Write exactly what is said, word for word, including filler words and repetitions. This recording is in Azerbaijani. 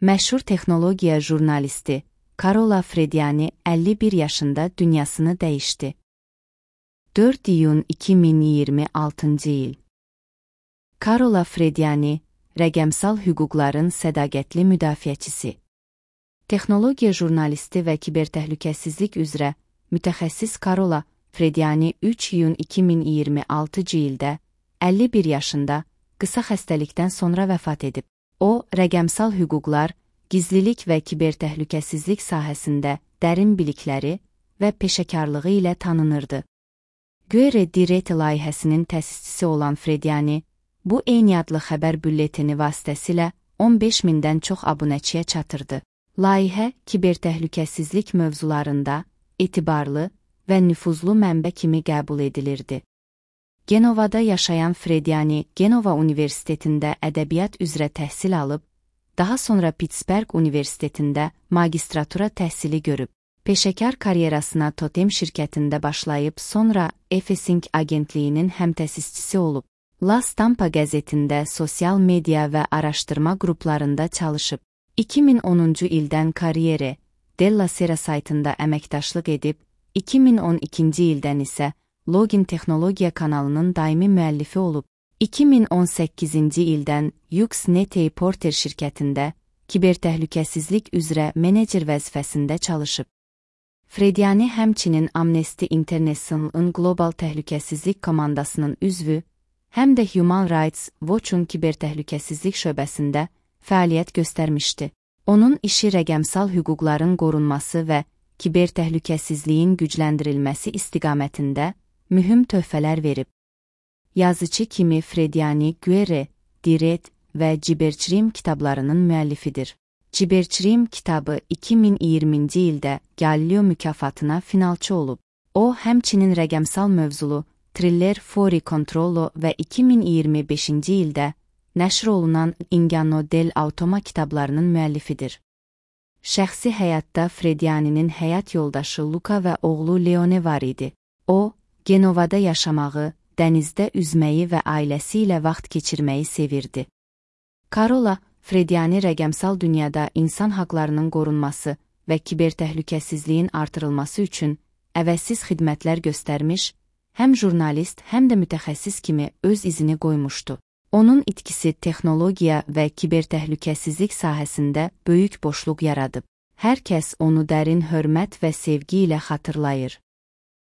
Məşhur texnologiya jurnalisti Carola Frediani əlli bir yaşında dünyasını dəyişdi. dörd iyun iki min iyirmi altıncı il. Carola Frediani, rəqəmsal hüquqların sədaqətli müdafiəçisi. Texnologiya jurnalisti və kibertəhlükəsizlik üzrə mütəxəssis Carola Frediani üç iyun iki min iyirmi altıncı ildə əlli bir yaşında qısa xəstəlikdən sonra vəfat edib. O, rəqəmsal hüquqlar, gizlilik və kibertəhlükəsizlik sahəsində dərin bilikləri və peşəkarlığı ilə tanınırdı. Guerre di Rete layihəsinin təsisçisi olan Frediani, bu eyni adlı xəbər bülleteni vasitəsilə on beş mindən çox abunəçiyə çatırdı. Layihə, kibertəhlükəsizlik mövzularında etibarlı və nüfuzlu mənbə kimi qəbul edilirdi. Genovada yaşayan Frediani, Genova Universitetində ədəbiyyat üzrə təhsil alıb, daha sonra Pittsburgh Universitetində magistratura təhsili görüb. Peşəkar karyerasına Totem şirkətində başlayıb, sonra Efesing agentliyinin həmtəsisçisi olub. La Stampa qəzetində sosial media və araşdırma qruplarında çalışıb. iki min onuncu ildən Karriere della Sera saytında əməkdaşlıq edib, iki min on ikinci ildən isə Login Texnologiya kanalının daimi müəllifi olub. iki min on səkkizinci ildən Uxnet Porter şirkətində kibertəhlükəsizlik üzrə menecer vəzifəsində çalışıb. Frediani həmçinin Amnesty International'ın qlobal təhlükəsizlik komandasının üzvü, həm də Human Rights Watch'un kibertəhlükəsizlik şöbəsində fəaliyyət göstərmişdi. Onun işi rəqəmsal hüquqların qorunması və kibertəhlükəsizliyin gücləndirilməsi istiqamətində mühüm töhfələr verib. Yazıcı kimi Frediani Guerre di Rete və Cybercrime kitablarının müəllifidir. Cybercrime kitabı iki min iyirminci ildə Galileo mükafatına finalçı olub. O, həmçinin rəqəmsal mövzulu Thriller Fuori Controllo və iki min iyirmi beşinci ildə nəşr olunan Inganno del Automa kitablarının müəllifidir. Şəxsi həyatda Frediani'nin həyat yoldaşı Luca və oğlu Leone var idi. O, Genovada yaşamağı, dənizdə üzməyi və ailəsi ilə vaxt keçirməyi sevirdi. Carola Frediani rəqəmsal dünyada insan haqlarının qorunması və kibertəhlükəsizliyin artırılması üçün əvəzsiz xidmətlər göstərmiş, həm jurnalist, həm də mütəxəssis kimi öz izini qoymuşdu. Onun itkisi texnologiya və kibertəhlükəsizlik sahəsində böyük boşluq yaradıb. Hər kəs onu dərin hörmət və sevgi ilə xatırlayır.